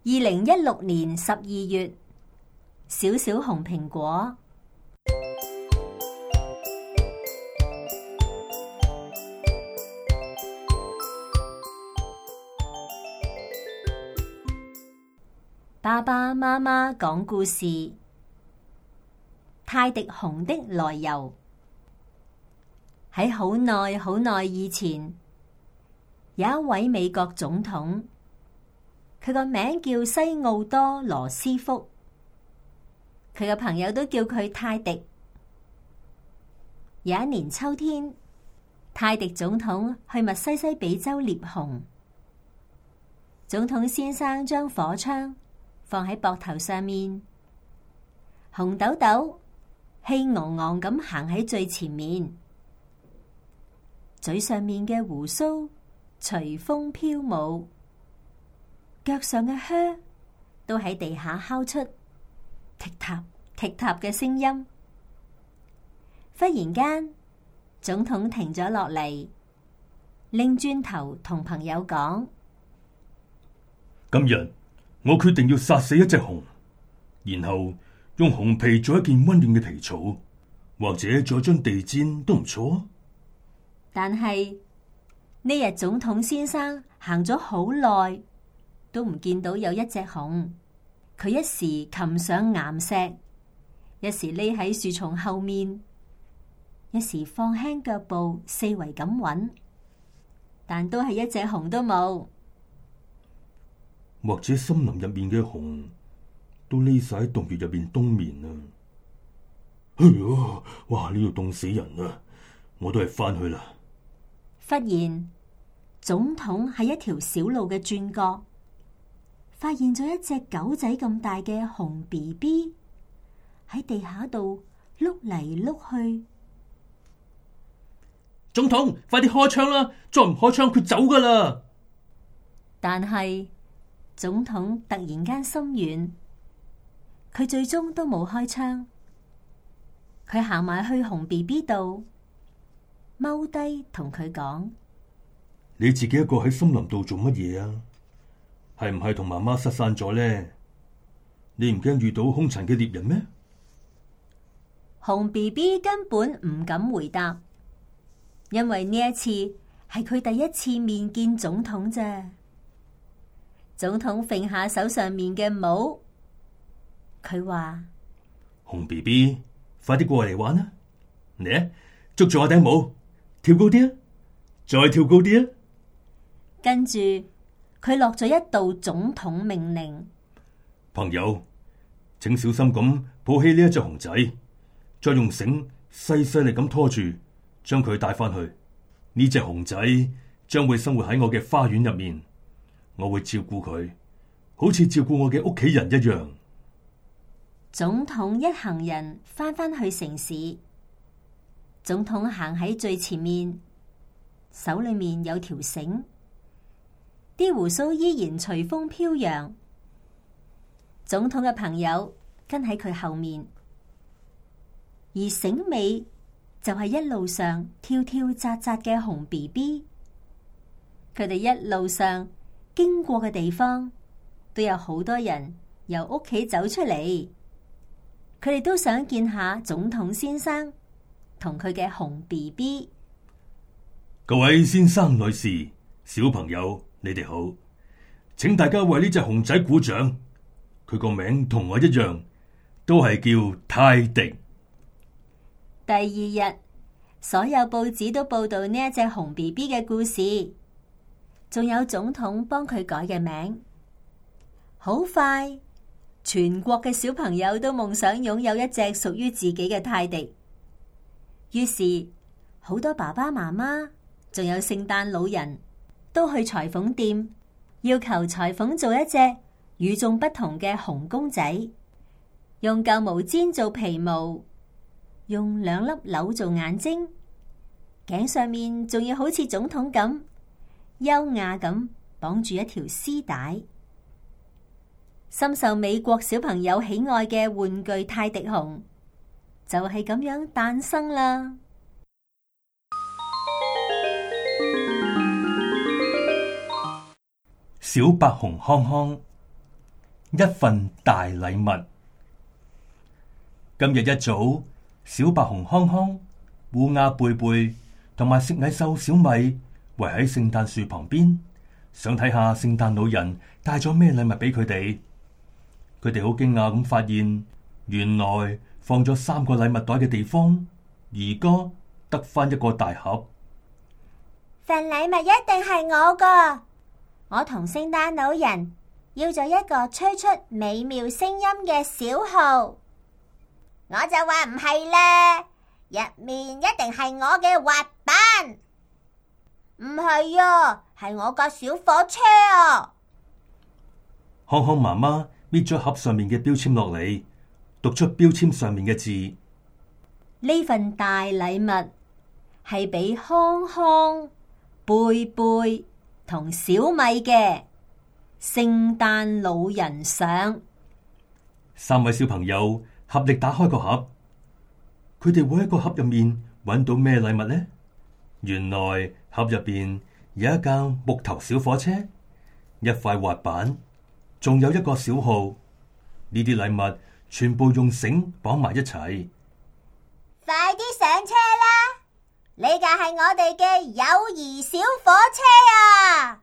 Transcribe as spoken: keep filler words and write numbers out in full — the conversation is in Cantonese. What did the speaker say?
二零一六年十二月，小小紅蘋果。爸爸媽媽講故事：泰迪熊的來由。喺好耐好耐以前，有一位美國總統，佢個名叫西奧多羅斯福，佢嘅朋友都叫佢泰迪。有一年秋天，泰迪總統去密西西比州獵熊。總統先生將火槍放喺膊頭上面，紅豆豆氣昂昂咁行喺最前面，嘴上面嘅鬍鬚隨風飄舞，腳上嘅靴都喺地下敲出踢踏踢踏嘅聲音。忽然間，總統停咗落嚟，擰轉頭同朋友講：今日我決定要殺死一隻熊，然後用熊皮做一件溫暖嘅皮草，或者做一張地氈都唔錯。但係呢日總統先生行咗好耐，都唔見到有一隻熊。佢一時擒上岩石，一時匿喺樹叢後面，一時放輕腳步四圍咁揾，但都係一隻熊都冇。或者森林入面嘅熊都匿晒喺洞穴入面冬眠啊！哎呀，哇！呢度凍死人啊！我都係翻去啦。忽然，總統喺一條小路嘅轉角，發現咗一隻狗仔咁大嘅熊 B B 喺地下度碌嚟碌去。總統，快啲開槍啦！再唔開槍，佢走噶啦！但係總統突然間心軟，佢最終都冇開槍。佢行埋去熊 B B 度，踎低同佢講：你自己一個喺森林度做乜嘢啊？係唔係同媽媽失散咗呢？你唔驚遇到兇殘嘅獵人咩？熊 B B 根本唔敢回答，因為呢一次係佢第一次面見總統啫。總統揈下手上面嘅帽，佢話：熊 B B， 快啲過嚟玩啦！嚟啊，捉住我頂帽，跳高啲啊，再跳高啲啊！跟住佢落咗一道總統命令：朋友，請小心咁抱起呢一隻熊仔，再用繩細細力咁拖住，將佢帶翻去。呢隻熊仔將會生活喺我嘅花園入面。我會照顧佢，好似照顧我嘅屋企人一樣。總統一行人翻返去城市，總統行喺最前面，手裏面有條繩，啲鬍鬚依然隨風飄揚。總統嘅朋友跟喺佢後面，而繩尾就係一路上跳跳扎扎嘅熊 B B。佢哋一路上經過嘅地方，都有好多人由屋企走出嚟，佢哋都想見下總統先生同佢嘅熊 B B。各位先生、女士、小朋友，你哋好，請大家為呢隻熊仔鼓掌。佢個名同我一樣，都係叫泰迪。第二日，所有報紙都報道呢一隻熊 B B 嘅故事。仲有總統幫佢改嘅名。好快，全國嘅小朋友都夢想擁有一隻屬於自己嘅泰迪。於是，好多爸爸媽媽，仲有聖誕老人都去裁縫店，要求裁縫做一隻與眾不同嘅熊公仔，用舊毛氈做皮毛，用兩粒鈕做眼睛，頸上面仲要好似總統咁優雅咁綁住一條絲帶。深受美國小朋友喜愛嘅玩具泰迪熊就係咁樣誕生啦。小白熊康康。一份大禮物。今日一早，小白熊康康、烏鴉貝貝同埋食蟻獸小米圍喺聖誕樹旁邊，想睇下聖誕老人帶咗咩禮物俾佢哋。佢哋好驚訝咁發現，原來放咗三個禮物袋嘅地方，而家得返一個大盒。份禮物一定係我噶，我同聖誕老人要咗一個吹出美妙聲音嘅小號。我就話唔係啦，入面一定係我嘅滑板。唔係啊，係我架小火車啊。康康媽媽搣咗盒上面嘅標籤落嚟，讀出標籤上面嘅字。呢份大禮物係俾康康、貝貝同小米嘅聖誕老人相。三位小朋友合力打開個盒，佢哋會喺個盒入面揾到咩禮物呢？原來盒入邊有一架木頭小火車、一塊滑板，仲有一個小號。呢啲禮物全部用繩綁埋一齊。快啲上車啦！呢架係我哋嘅友誼小火車啊！